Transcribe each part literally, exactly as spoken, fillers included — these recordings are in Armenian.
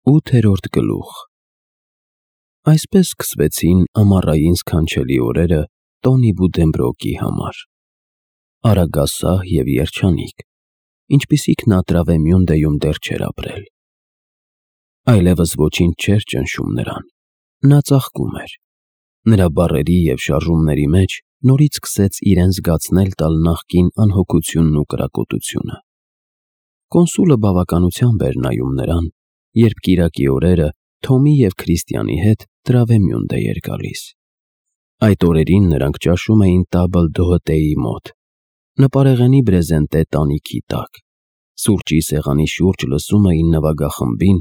Ութերորդ գլուխ Այսպես սկսվեցին ամառային սքանչելի օրերը Տոնի Բուդենբրոկի համար։ Արագասահ և երջանիկ, ինչպիսիք նա Տրավեմյունդեում դեռ չէր ապրել։ Այլևս ոչինչ չէր ճնշում նրան, նա ծաղկում էր։ Նրա բառերի և շարժումների մեջ նորից սկսեց իրեն զգացնել տալ նախկին անհոգությունն ու կրակոտությունը։ Կոնսուլը բավականությամբ էր նայում նրան, երբ կիրակի օրերը Թոմի և Քրիստիանի հետ Տրավեմյունդ էր գալիս։ Այդ օրերին նրանք ճաշում էին Տաբլ Դոհոտեի մոտ, նպարեղենի բրեզենտե տանիքի տակ, սուրճի սեղանի շուրջ լսում էին նվագախմբին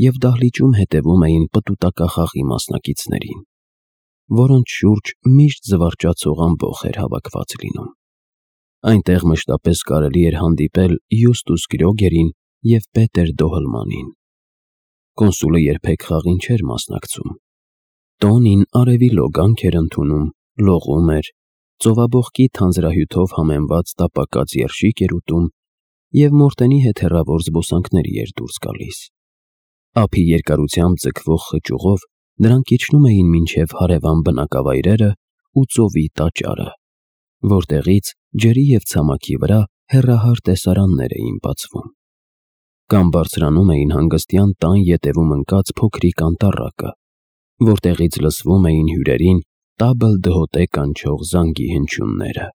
և դահլիճում հետևում էին պտուտակախաղի մասնակիցներին, որոնց շուրջ միշտ զվարճացող ամբոխ էր հավաքված լինում։ Այնտեղ մշտապես կարելի էր հանդիպել Յուստուս Գրոգերին և Պետեր Դոհլմանին։ Կոնսուլը երբեք խաղին չէր մասնակցում։ Տոնին արևի լոգանք էր ընդունում, լողում էր, ծովաբողկի թանձրահյութով համեմված տապակած երշիկ էր ուտում և Մորտենի հետ հեռավոր զբոսանքների էր դուրս գալիս։ Ափի երկարությամբ ձգվող խճուղով նրանք իջնում էին մինչև հարևան բնակավայրերը ու ծովի տաճարը, որտեղից ջրի և ցամաքի վրա հեռահար տեսարաններ էին բացվում։ Կամ բարձրանում էին հանգստյան տան ետևում ընկած փոքրիկ անտառակը, որտեղից լսվում էին հյուրերին Տաբլ Դհոտե կանչող զանգի հնչյունները,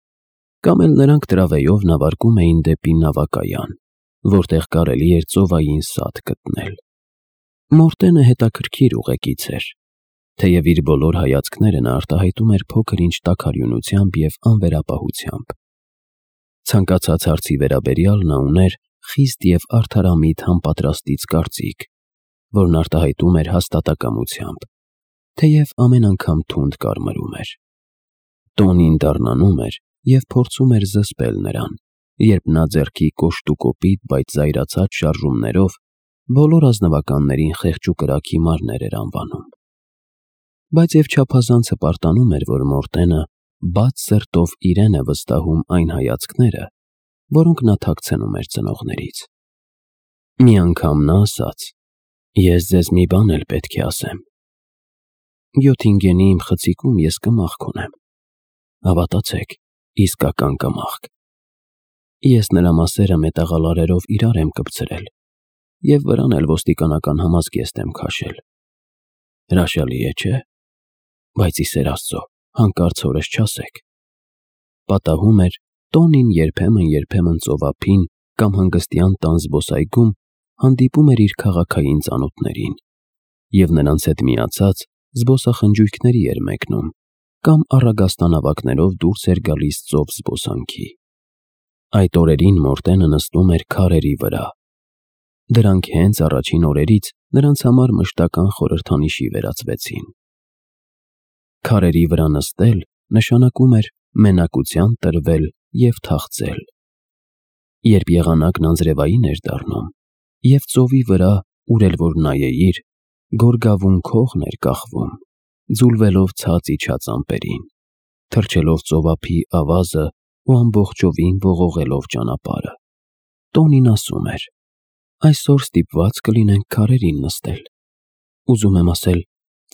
կամ էլ նրանք տրավեյով նավարկում էին դեպի նավակայան, որտեղ կարելի էր ծովային սադ գտնել։ Մորտենը հետաքրքիր ուղեկից էր, թեև իր բոլոր հայացքները նա արտահայտում էր փոքր-ինչ տաքարյունությամբ և անվերապահությամբ։ Ցանկացած հարցի վերաբերյալ նա ուներ խիստ և արդարամիտ համապատրաստից կարծիք, որն արտահայտում էր հաստատակամությամբ, թեև ամեն անգամ թունդ կարմրում էր։ Տոնին դառնանում էր և փորձում էր զսպել նրան, երբ նա ձեռքի կոշտուկոպիտ, բայց զայրացած շարժումներով բոլոր ազնվականներին խեղճ ու կրակ հիմարներ էր անվանում։ Բայց և չափազանց հպարտանում էր, որ Մորտենը բաց սրտով իրեն է վստահում այն հայացքները, որոնք նա թաքցնում էր ծնողներից։ Մի անգամ նա ասաց. «Ես ձեզ մի բան էլ պետք է ասեմ։ Գյոթինգենի իմ խցիկում ես կմախք ունեմ, հավատացեք, իսկական կմախք։ Ես նրա մասերը մետաղալարերով իրար եմ կպցրել և վրան էլ ոստիկանական համազգեստ եմ քաշել։ Հրաշալի է, չէ՞, բայց ի սեր Աստծո, հանկարծ հորս չասեք»։ Պատահում էր, Տոնին երբեմն-երբեմն ծովափին կամ հանգստյան տան զբոսայգում հանդիպում էր իր քաղաքային ծանոթներին և նրանց հետ միացած զբոսախնջույքների էր մեկնում կամ առագաստանավակներով դուրս էր գալիս ծով զբոսանքի։ Այդ օրերին Մորտենը նստում էր քարերի վրա։ Դրանք հենց առաջին օրերից նրանց համար մշտական խորհրդանիշի վերածվեցին։ Քարերի վրա նստել նշանակում էր մենակության տրվել և թախծել։ Երբ եղանակն անձրևային էր դառնում, և ծովի վրա, ուր էլ որ նայեիր, գորգավուն քողն էր կախվում, ձուլվելով ցած իջած ամպերին, թռչելով ծովափի ավազը ու ամբողջովին ողողելով ճանապարհը, Տոնին ասում էր. «Այսօր ստիպված կլինենք քարերին նստել։ Ուզում եմ ասել,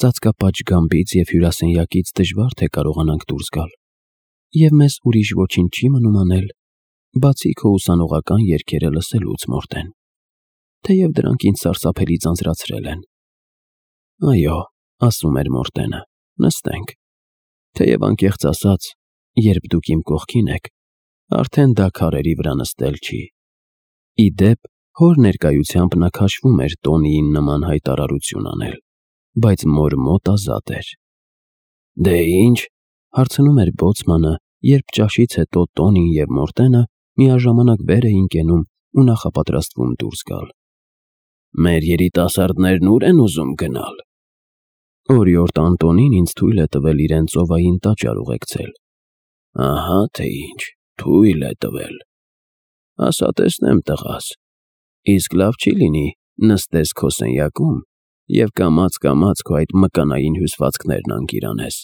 ծածկապատշգամբից և հյուրասենյակից դժվար թե կարողանանք դուրս գալ, և մեզ ուրիշ ոչինչ չի մնում անել, բացի քո ուսանողական երգերը լսելուց, Մորտեն, թեև դրանք ինձ սարսափելի ձանձրացրել են»։ «Այո», ասում էր Մորտենը, «նստենք, թեև անկեղծ ասած, երբ դուք իմ կողքին եք, արդեն դա քարերի վրա նստել չի»։ Ի դեպ, հոր ներկայությամբ նա քաշվում էր Տոնիին նման հայտարարություն անել, բայց մոր մոտ ազատ էր։ «Դե ի՞նչ», հարցնում էր բոցմանը, երբ ճաշից հետո Տոնին և Մորտենը միաժամանակ վեր էին կենում ու նախապատրաստվում դուրս գալ։ «Մեր երիտասարդներն ո՞ւր են ուզում գնալ»։ «Օրիորդ Անտոնին ինձ թույլ է տվել իրեն ծովային տաճար ուղեկցել»։ «Ահա թե ինչ, թույլ է տվել։ Ասա տեսնեմ, տղաս, իսկ լավ չի լինի նստես քո սենյակում և կամաց֊կամաց քո այդ մկանային հյուսվածքներն անգիրանես։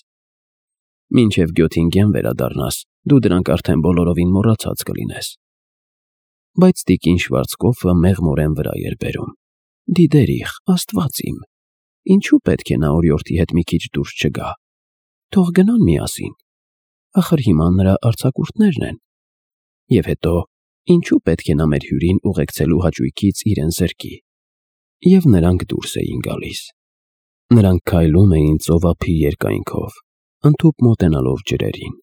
Մինչև Գյոթինգեն վերադառնաս, դու դրանք արդեն բոլորովին մոռացած կլինես»։ Բայց տիկին Շվարցկոֆը մեղմորեն վրա էր բերում։ Դիդերիխ, Աստված իմ, ինչու պետք է նա օրիորդի հետ մի քիչ դուրս չգա։ Թող գնան միասին։ Ախր հիմա նրա արձակուրդներն են։ Եվ հետո, ինչու պետք է նա մեր հյուրին ուղեկցելու հաճույքից իրեն զրկի։ Եվ նրանք դուրս էին գալիս։ Նրանք քայլում էին ծովափի երկայնքով, ընդհուպ մոտենալով ջրերին,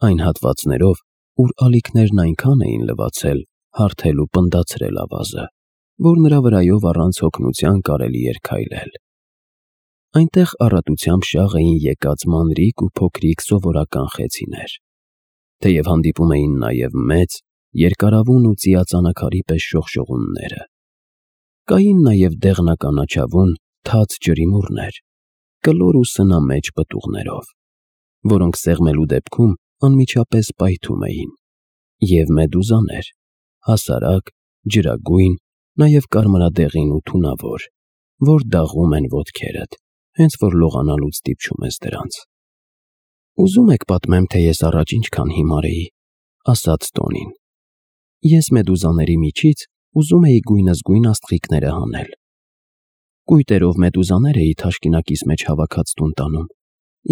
այն հատվածներով, ուր ալիքներն այնքան էին լվացել, հարթել ու պնդացրել ավազը, որ նրա վրայով առանց հոգնության կարելի էր քայլել։ Այնտեղ առատությամբ շաղ էին եկած մանրիկ ու փոքրիկ սովորական խեցիներ, թեև հանդիպում էին նաև մեծ, երկարավուն ու ծիածանակարի պես շողշողունները։ Կային նաև դեղնականաչավուն, թաց ջրիմուռներ, կլոր ու սնամեջ պտուղներով, որոնք սեղմելու դեպքում անմիջապես պայթում էին, և մեդուզաներ, հասարակ, ջրագույն, նաև կարմրադեղին ու թունավոր, որ դաղում են ոտքերդ, հենց որ լողանալուց դիպչում ես դրանց։ Ուզում եք պատմեմ, թե ես առաջ ինչքան հիմար էի, ասաց Տոնին։ Ես մեդուզաների միջից ուզում էի գույնզգույն աստղիկները հանել։ Կույտերով մեդուզաներ էի թաշկինակիս մեջ հավաքած տուն տանում,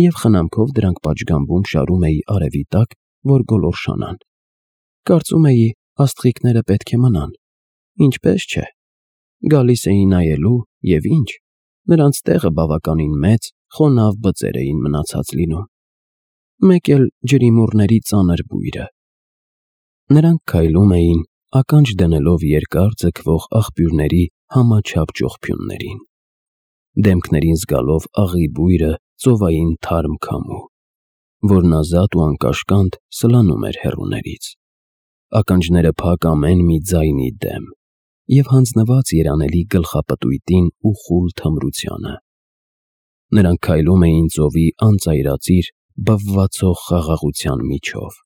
և խնամքով դրանք պատշգամբում շարում էի արևի տակ, որ գոլորշանան։ Կարծում էի, աստղիկները պետք է մնան, ինչպես չէ։ Գալիս էի նայելու, և ինչ, նրանց տեղը բավականին մեծ, խոնավ բծեր էին մնացած լինում, մեկ էլ ջրիմուռների ծանր բույրը։ Նրանք քայլում էին, ականջ դնելով երկար ձգվող աղբյուրների համաչափ ճողփյուններին, դեմքներին զգալով աղի բույրը ծովային թարմ քամու, որն ազատ ու անկաշկանդ սլանում էր հեռուներից, ականջները փակ ամեն մի ձայնի դեմ և հանձնված երանելի գլխապտույտին ու խուլ թմրությանը։ Նրանք քայլում էին ծովի անծայրածիր, բվվացող խաղաղության միջով,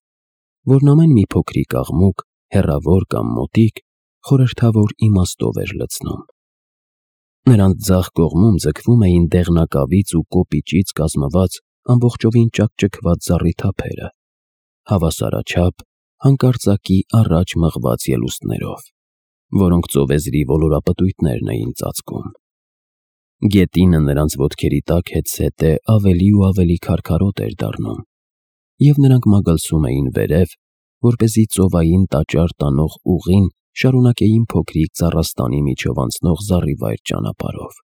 որն ամեն մի փոքրիկ աղմուկ, հեռավոր կամ մոտիկ, խորհրդավոր իմաստով էր լցնում։ Նրանց ձախ կողմում ձգվում էին դեղնակավից ու կոպիճից կազմված ամբողջովին ճաքճքված զառիթափերը, հավասարաչափ, հանկարծակի առաջ մղված ելուստներով, որոնք ծովեզրի ոլորապտույտներն էին ծածկում։ Գետինը նրանց ոտքերի տակ հետզհետե ավելի ու ավելի քարքարոտ էր դառնում, և նրանք մագլցում էին վերև, որպեսզի ծովային տաճար տանող ուղին շարունակեին փոքրիկ ծառաստանի միջով անցնող զառիվայր ճանապարհով։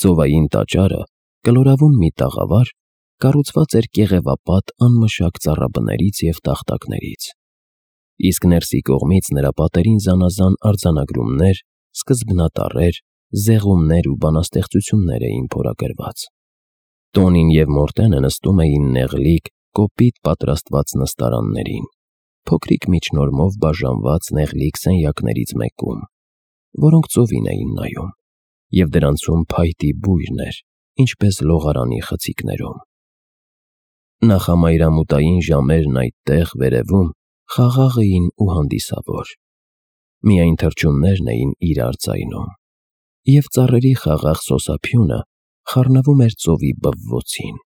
Ծովային տաճարը, կլորավուն մի տաղավար, կառուցված էր կեղևապատ անմշակ ծառաբներից և տախտակներից, իսկ ներսի կողմից նրա պատերին զանազան արձանագրումներ, սկզբնատառեր, զեղումներ ու բանաստեղծություններ էին փորագրված։ Տոնին և Մորտենը նստում էին նեղլիկ, կոպիտ պատրաստված նստարաններին, փոքրիկ միջնորմով բաժանված նեղլիկ սենյակներից մեկում, որոնք ծովին էին նայում, և դրանցում փայտի բույրն էր, ինչպես լողարանի խցիկներում։ Նախամայրամուտային ժամերն այդտեղ, վերևում, խաղաղ էին ու հանդիսավոր։ Միայն թռչուններն էին իրար ձայնում, և ծառերի խաղաղ սոսափյունը խառնվում էր ծովի բվոցին։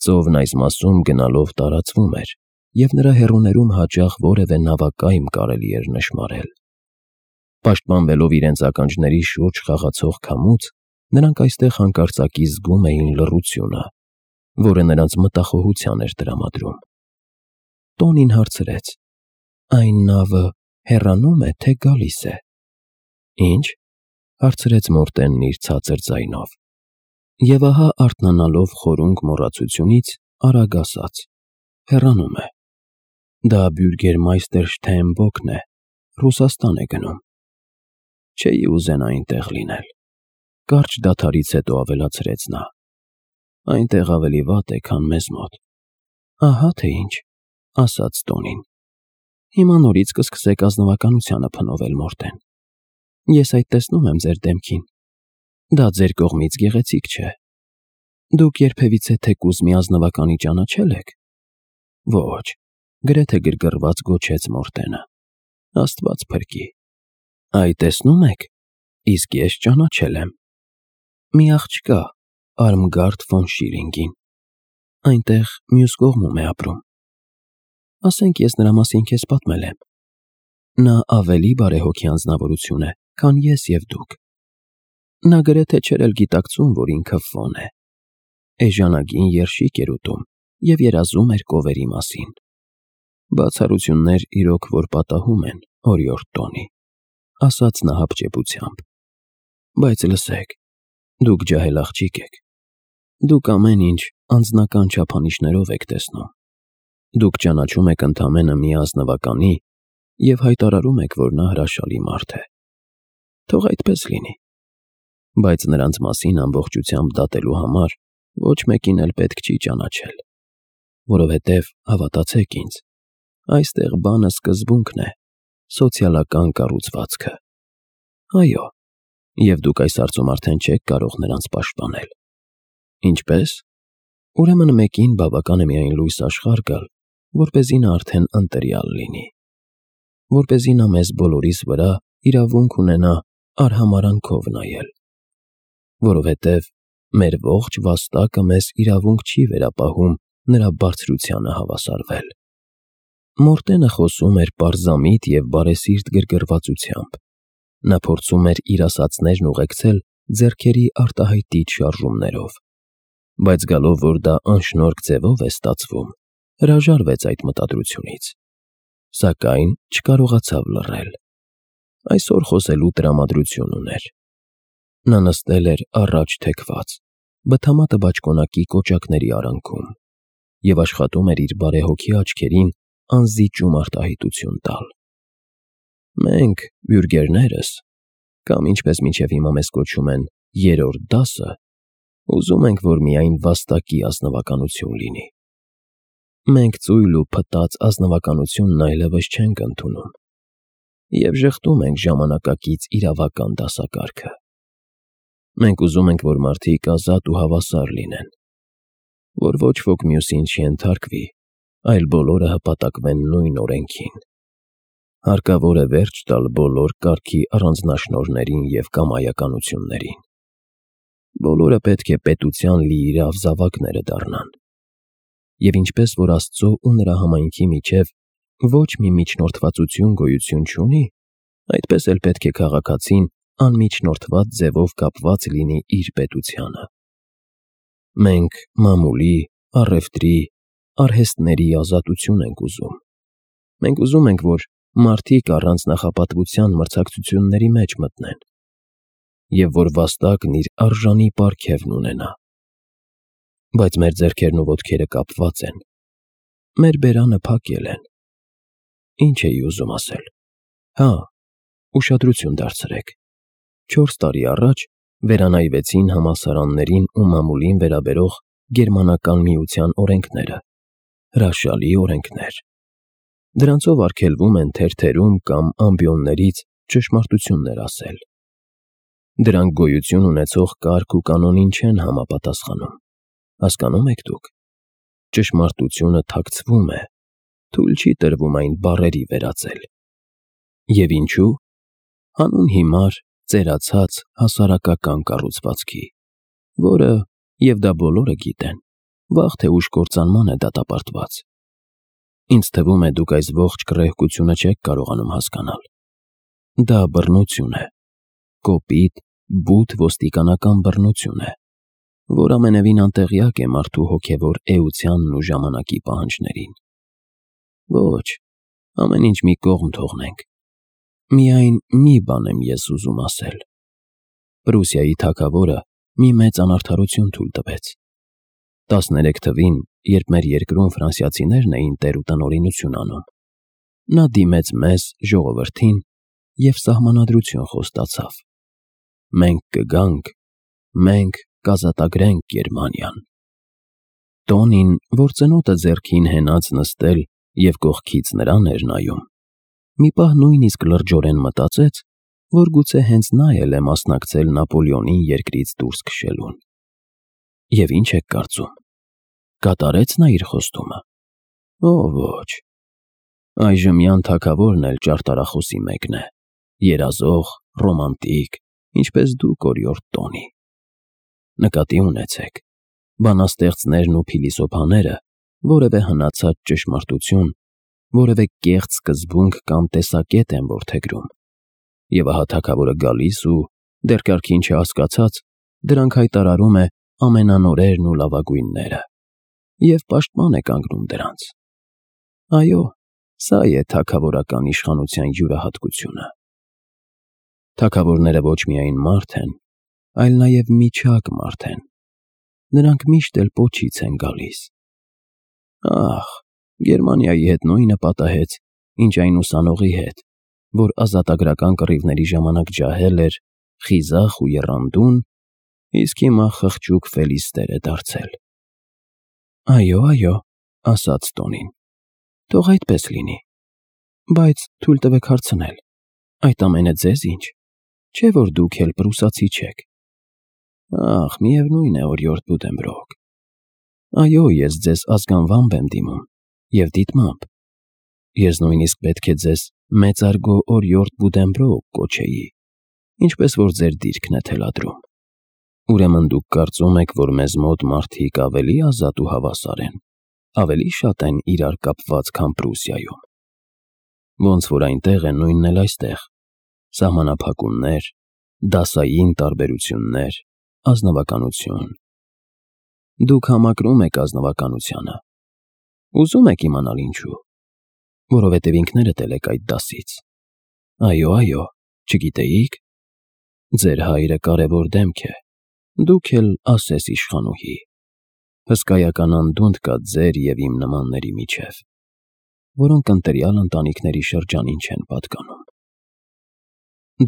Ծովն այս մասում գնալով տարածվում էր, և նրա հեռուներում հաճախ որևէ նավակայմ կարելի էր նշմարել։ Պաշտպանվելով իրենց ականջների շուրջ խաղացող քամուց, նրանք այստեղ հանկարծակի զգում էին լռությունը, որը նրանց մտախոհության էր տրամադրում։ Տոնին հարցրեց. «Այն նավը հեռանո՞ւմ է, թե գալիս է»։ «Ինչ»։ Հարցրեց Մորտենն իր ցածր ձայնով, և ահա արթնանալով խորունկ մոռացությունից, արագ ասաց. «Հեռանում է։ Դա Բյուրգերմայստեր Շթայնբոքն է, Ռուսաստան է գնում»։ «Չէի ուզենա այնտեղ լինել», կարճ դադարից հետո ավելացրեց նա։ «Այնտեղ ավելի վատ է, քան մեզ մոտ»։ «Ահա թե ինչ», ասաց Տոնին։ «Հիմա նորից կսկսեք ազնվականությանը փնովել, Մորտեն։ Ես այդ տեսնում եմ ձեր դեմքին։ Դա ձեր կողմից գեղեցիկ չէ։ Դուք երբևիցե թեկուզ մի ազնվականի ճանաչե՞լ եք»։ «Ոչ», գրեթե գրգռված գոչեց Մորտենը։ «Աստված փրկի»։ «Այ տեսնում եք, իսկ ես ճանաչել եմ։ Մի աղջկա, Արմգարդ ֆոն Շիլինգին, այնտեղ մյուս կողմում է ապրում։ Ասենք ես նրա մասին քեզ պատմել եմ։ Նա ավելի բարեհոգի անձնավորություն է, քան ես և դուք։ Նա գրեթե չէր էլ գիտակցում, որ ինքը Ֆոն է։ Էժանագին երշիկ էր ուտում և երազում էր կովերի մասին։ Բացառություններ իրոք որ պատահում են, օրիորդ Տոնի, ասաց նա հապճեպությամբ։ Բայց լսեք, դուք ջահել աղջիկ եք։ Դուք ամեն ինչ անձնական չափանիշներով եք տեսնում։ Դուք ճանաչում եք ընդամենը մի ազնվականի և հայտարարում եք, որ նա հրաշալի մարդ է։ Թող այդպես լինի։ Բայց նրանց մասին ամբողջությամբ դատելու համար ոչ մեկին էլ պետք չի ճանաչել, որովհետև, հավատացեք ինձ, այստեղ բանը սկզբունքն է, սոցիալական կառուցվածքը։ Այո, և դուք այս հարցում արդեն չեք կարող նրանց պաշտպանել։ Ինչպե՞ս։ Ուրեմն մեկին բավական է միայն լույս աշխարհ գալ, որպեսզի նա արդեն ընտրյալ լինի, որպեսզի նա մեզ բոլորիս վրա իրավունք ունենա արհամարհանքով նայել, որովհետև մեր ողջ վաստակը մեզ իրավունք չի վերապահում նրա բարձրությանը հավասարվել։ Մորտենը խոսում էր պարզամիտ և բարեսիրտ գրգռվածությամբ։ Նա փորձում էր իր ասածներն ուղեկցել ձեռքերի արտահայտիչ շարժումներով, բայց գալով, որ դա անշնորհք ձևով է ստացվում, հրաժարվեց այդ մտադրությունից, սակայն չկարողացավ լռել։ Այսօր խոսելու տրամադրություն ուներ։ Նա նստել էր առաջ թեքված, բթամատը բաճկոնակի կոճակների արանքում և աշխատում էր իր բարեհոգի աչքերին անզիջում արտահայտություն տալ։ Մենք, բյուրգերներս, կամ ինչպես մինչև հիմա մեզ կոչում են երրորդ դասը, ուզում ենք, որ միայն վաստակի ազնվականություն լինի։ Մենք ծույլ ու փտած ազնվականությունն այլևս չենք ընդունում և ժխտում ենք ժամանակակից իրավական դասակարգը։ Մենք ուզում ենք, որ մարդիկ ազատ ու հավասար լինեն, որ ոչ ոք մյուսին չենթարկվի, այլ բոլորը հպատակվեն նույն օրենքին։ Հարկավոր է վերջ տալ բոլոր կարգի առանձնաշնորհներին և կամայականություններին։ Բոլորը պետք է պետության լիիրավ զավակները դառնան։ Եվ ինչպես որ Աստծո ու նրա համայնքի միջև ոչ մի միջնորդվածություն գոյություն չունի, այդպես էլ պետք է քաղաքացին անմիջնորդված ձևով կապված լինի իր պետությանը։ Մենք մամուլի, առևտրի, արհեստների ազատություն ենք ուզում։ Մենք ուզում ենք, որ մարդիկ առանց նախապատվության մրցակցությունների մեջ մտնեն, և որ վաստակն իր արժանի պարգևն ունենա։ Բայց մեր ձեռքերն ու ոտքերը կապված են, մեր բերանը փակել են։ Ինչ էի ուզում ասել։ Հա, ուշադրություն դարձրեք։ Չորս տարի առաջ վերանայվեցին համալսարաններին ու մամուլին վերաբերող Գերմանական միության օրենքները, հրաշալի օրենքներ։ Դրանցով արգելվում են թերթերում կամ ամբիոններից ճշմարտություններ ասել։ Դրանք գոյություն ունեցող կարգ ու կանոնին չեն համապատասխանում։ Հասկանո՞ւմ եք դուք։ Ճշմարտությունը թաքցվում է, թույլ չի տրվում այն բառերի վերածել։ Եվ ինչու։ Հանուն հիմար, ծերացած հասարակական կառուցվածքի, որը, և դա բոլորը գիտեն, վաղ թե ուշ կործանման է դատապարտված։ Ինձ թվում է, դուք այս ողջ կռեհկությունը չեք կարողանում հասկանալ։ Դա բռնություն է, կոպիտ, բութ ոստիկանական բռնություն է, որ ամենևին անտեղյակ է մարդու հոգևոր էությանն ու ժամանակի պահանջներին։ Ոչ, ամեն ինչ մի կողմ թողնենք։ Միայն մի բան եմ ես ուզում ասել։ Պրուսիայի թագավորը մի մեծ անարդարություն թույլ տվեց։ Տասներեք թվին, երբ մեր երկրում ֆրանսիացիներն էին տեր ու տնօրինություն անում, նա դիմեց մեզ, ժողովրդին, և սահմանադրություն խոստացավ. մենք կգանք, մենք կազատագրենք Գերմանիան։ Տոնին, որ ծնոտը ձեռքին հենած նստել և կողքից նրան էր նայում, մի պահ նույնիսկ լրջորեն մտածեց, որ գուցե հենց նա էլ է մասնակցել Նապոլեոնին երկրից դուրս քշելուն։ Եվ ինչ եք կարծում, կատարեց նա իր խոստումը։ Օ ոչ։ Այժմյան թագավորն էլ ճարտարախոսի մեկն է, երազող, ռոմանտիկ, ինչպես դուք, օրիորդ Տոնի։ Նկատի ունեցեք, բանաստեղծներն ու փիլիսոփաները որևէ հնացած ճշմարտություն, որևէ կեղծ սկզբունք կամ տեսակետ են որդեգրում, Եվ ահա թագավորը գալիս ու, դեռ կարգին չհասկացած, դրանք հայտարարում է ամենանորերն ու լավագույնները և պաշտպան է կանգնում դրանց։ Այո, սա է թագավորական իշխանության յուրահատկությունը։ Թագավորները ոչ միայն մարդ են, այլ նաև միջակ մարդ են։ Նրանք միշտ էլ պոչից են գալիս։ Ահ, Գերմանիայի հետ նույնը պատահեց, ինչ այն ուսանողի հետ, որ ազատագրական կռիվների ժամանակ ջահել էր, խիզախ ու եռանդուն, իսկ հիմա խղճուկ Ֆելիստեր է դարձել։ Այո, այո, ասաց Տոնին, թող այդպես լինի, բայց թույլ տվեք հարցնել, այդ ամենը ձեզ ինչ, չէ՞ որ դուք էլ պրուսացի չեք։ Ախ, միևնույն է, օրիորդ Բուդենբրոկ։ Այո, ես ձեզ ազգանվամբ եմ դիմում և դիտմամբ։ Ես նույնիսկ պետք է ձեզ մեծարգո օրիորդ Բուդենբրոկ կոչեի, ինչպես որ ձեր դիրքն է թելադրում։ Ուրեմն դուք կարծում եք, որ մեզ մոտ մարդիկ ավելի ազատ ու հավասար են, ավելի շատ են իրար կապված, քան Պրուսիայում։ Ոնց որ այնտեղ է, նույնն էլ այստեղ. սահմանափակումներ, դասային տարբերություններ, ազնվականություն։ Դուք համակրում եք ազնվականությանը։ Ուզում եք իմանալ ինչու։ Որովհետև ինքներդ էլ եք այդ դասից։ Այո, այո, չգիտեիք։ Ձեր հայրը կարևոր դեմք է, դուք էլ ասես իշխանուհի։ Հսկայական անդունդ կա ձեր և իմ նմանների միջև, որոնք ընտրյալ ընտանիքների շրջանին չեն պատկանում։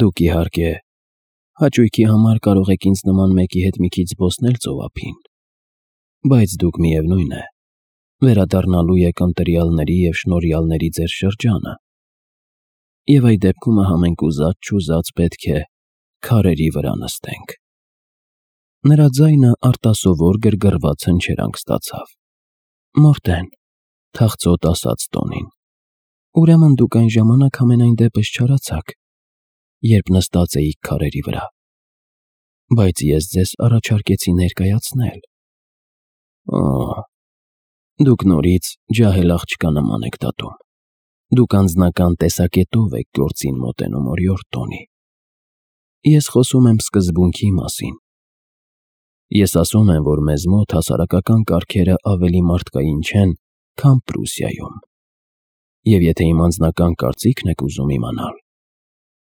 Դուք, իհարկե, հաճույքի համար կարող եք ինձ նման մեկի հետ մի քիչ զբոսնել ծովափին, բայց դուք, միևնույն է, վերադառնալու եք ընտրյալների և շնորհյալների ձեր շրջանը, և այդ դեպքում համենք ուզած-չուզած պետք է քարերի վրա նստենք։ Նրա ձայնը արտասովոր գրգռված հնչերանք ստացավ։ Մորտեն, թախծոտ ասաց Տոնին, ուրեմն դուք այն ժամանակ համենայն դեպս չարացաք, երբ նստած էիք քարերի վրա, բայց ես ձեզ առաջարկեցի ներկայացնել։ Օ՜, դուք նորից ջահել աղջկա նման եք դատում։ Դուք անձնական տեսակետով եք գործին մոտենում, օրիորդ Տոնի։ Ես խոսում եմ սկզբունքի մասին։ Ես ասում եմ, որ մեզ մոտ հասարակական կարգերը ավելի մարդկային չեն, քան Պրուսիայում։ Եվ եթե իմ անձնական կարծիքն եք ուզում իմանալ,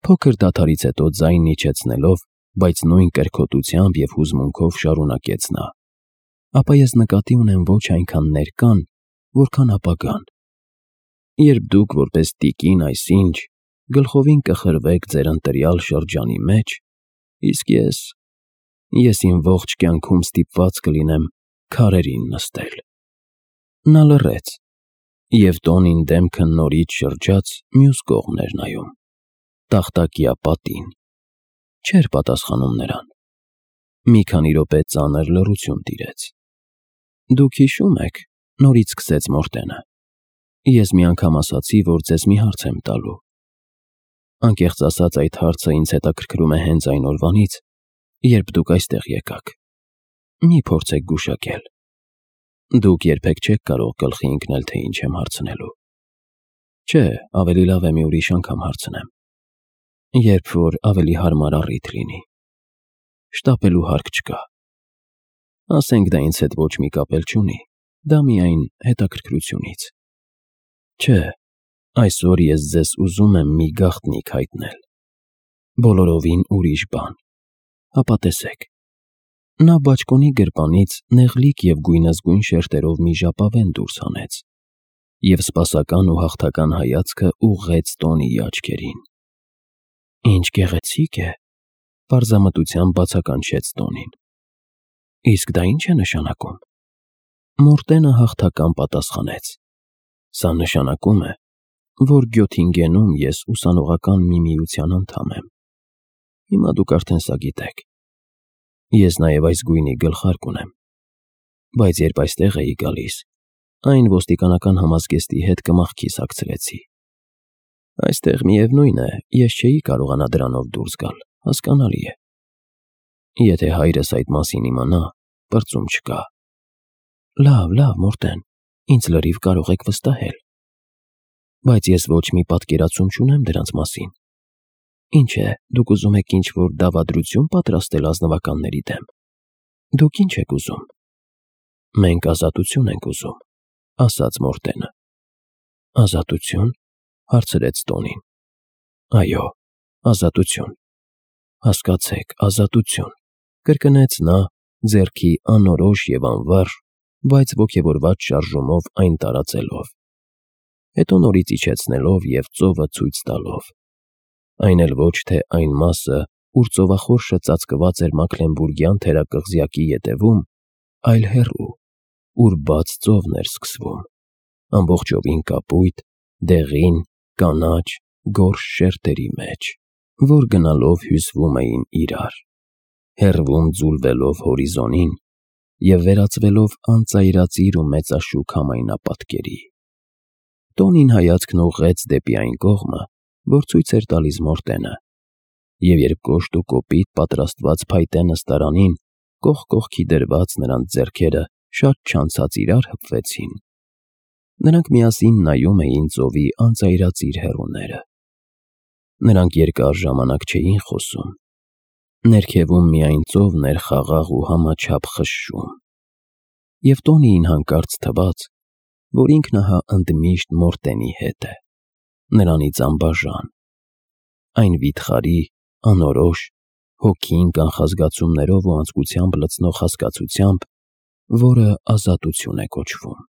փոքր դադարից հետո ձայնն իջեցնելով, բայց նույն կրքոտությամբ և հուզմունքով շարունակեց նա, ապա ես նկատի ունեմ ոչ այնքան ներկան, որքան ապագան։ Երբ դուք որպես տիկին այսինչ գլխովին կխրվեք ձեր ընտրյալ շրջանի մեջ, իսկ ես, ես իմ ողջ կյանքում ստիպված կլինեմ քարերին նստել։ Նա լռեց, և Տոնին դեմքը նորից շրջաց մյուս կողմն էր նայում, տախտակյա պատին, չէր պատասխանում նրան։ Մի քանի րոպե ծանր լռություն տիրեց։ Դուք հիշում եք, նորից սկսեց Մորտենը, ես մի անգամ ասացի, որ ձեզ մի հարց եմ տալու։ Անկեղծ ասած, այդ հարցը ինձ հետաքրքրում է հենց այն օրվանից, երբ դուք այստեղ եկաք։ Մի փորձեք գուշակել։ Դուք երբեք չեք կարող գլխի ընկնել, թե ինչ եմ հարցնելու։ Չէ, ավելի լավ է մի ուրիշ անգամ հարցնեմ, երբ որ ավելի հարմար առիթ լինի։ Շտապելու հարկ չկա։ Ասենք դա ինձ հետ ոչ մի կապ էլ չունի, դա միայն հետաքրքրությունից։ Չէ, այսօր ես ձեզ ուզում եմ մի գաղտնիք հայտնել, բոլորովին ուրիշ բան, հապա տեսեք։ Նա բաճկոնի գրպանից նեղլիկ և գույնզգույն շերտերով մի ժապավեն դուրս հանեց և սպասական ու հաղթական հայացքը ուղղեց Տոնիի աչքերին։ Ինչ գեղեցիկ է, պարզամտությամբ բացականչեց Տոնին։ Իսկ դա ի՞նչ է նշանակում։ Մորտենը հաղթական պատասխանեց. Սա նշանակում է, որ Գյոթինգենում ես ուսանողական մի միության անդամ եմ։ Հիմա դուք արդեն սա գիտեք։ Ես նաև այս գույնի գլխարկ ունեմ, բայց երբ այստեղ էի գալիս, այն ոստիկանական համազգեստի հետ կմախքի սակցրեցի։ Այստեղ միևնույն է, ես չէի կարողանա դրանով դուրս գալ, հասկանալի է։ Եթե հայրս այդ մասին իմանա, պրծում չկա։ Լավ, լավ, Մորտեն, ինձ լրիվ կարող եք վստահել։ Բայց ես ոչ մի պատկերացում չունեմ դրանց մասին։ Ինչ է, դուք ուզում եք ինչ-որ դավադրություն պատրաստել ազնվականների դեմ։ Դուք ինչ եք ուզում։ Մենք ազատություն ենք ուզում, ասաց Մորտենը։ Ազատություն, հարցրեց Տոնին։ Այո, ազատություն։ Հասկացեք, ազատություն, կրկնեց նա, ձեռքի անորոշ և անվարժ, բայց ոգևորված շարժումով այն տարածելով, հետո նորից իջեցնելով և ծովը ցույց տալով։ Այն էլ ոչ թե այն մասը, ուր ծովախորշը ծածկված էր Մաքլենբուրգյան թերակղզյակի ետևում, այլ հեռու, ուր բաց ծովն էր սկսվում, ամբողջովին կապույտ, դեղին, կանաչ, գորշ շերտերի մեջ, որ գնալով հյուսվում էին իրար, հեռվում ձուլվելով հորիզոնին և վերածվելով անծայրածիր ու մեծաշուք համայնապատկերի։ Տոնին հայացքն ուղղեց դեպի այն կողմը, որ ցույց էր տալիս Մորտենը, և երբ կոշտ ու կոպիտ պատրաստված փայտե նստարանին կողք կողքի դրված նրանց ձեռքերը շատ չանցած իրար հպվեցին, նրանք միասին նայում էին ծովի անծայրածիր հեռուները։ Նրանք երկար ժամանակ չէին խոսում։ Ներքևում միայն ծովն էր խաղաղ ու համաչափ խշշում։ Եվ Տոնիին հանկարծ թվաց, որ ինքն ահա ընդմիշտ Մորտենի հետ է, նրանից անբաժան, այն վիթխարի, անորոշ, հոգին կանխազգացումներով ու անձկությամբ լցնող հասկացությամբ, որը ազատություն է կոչվում։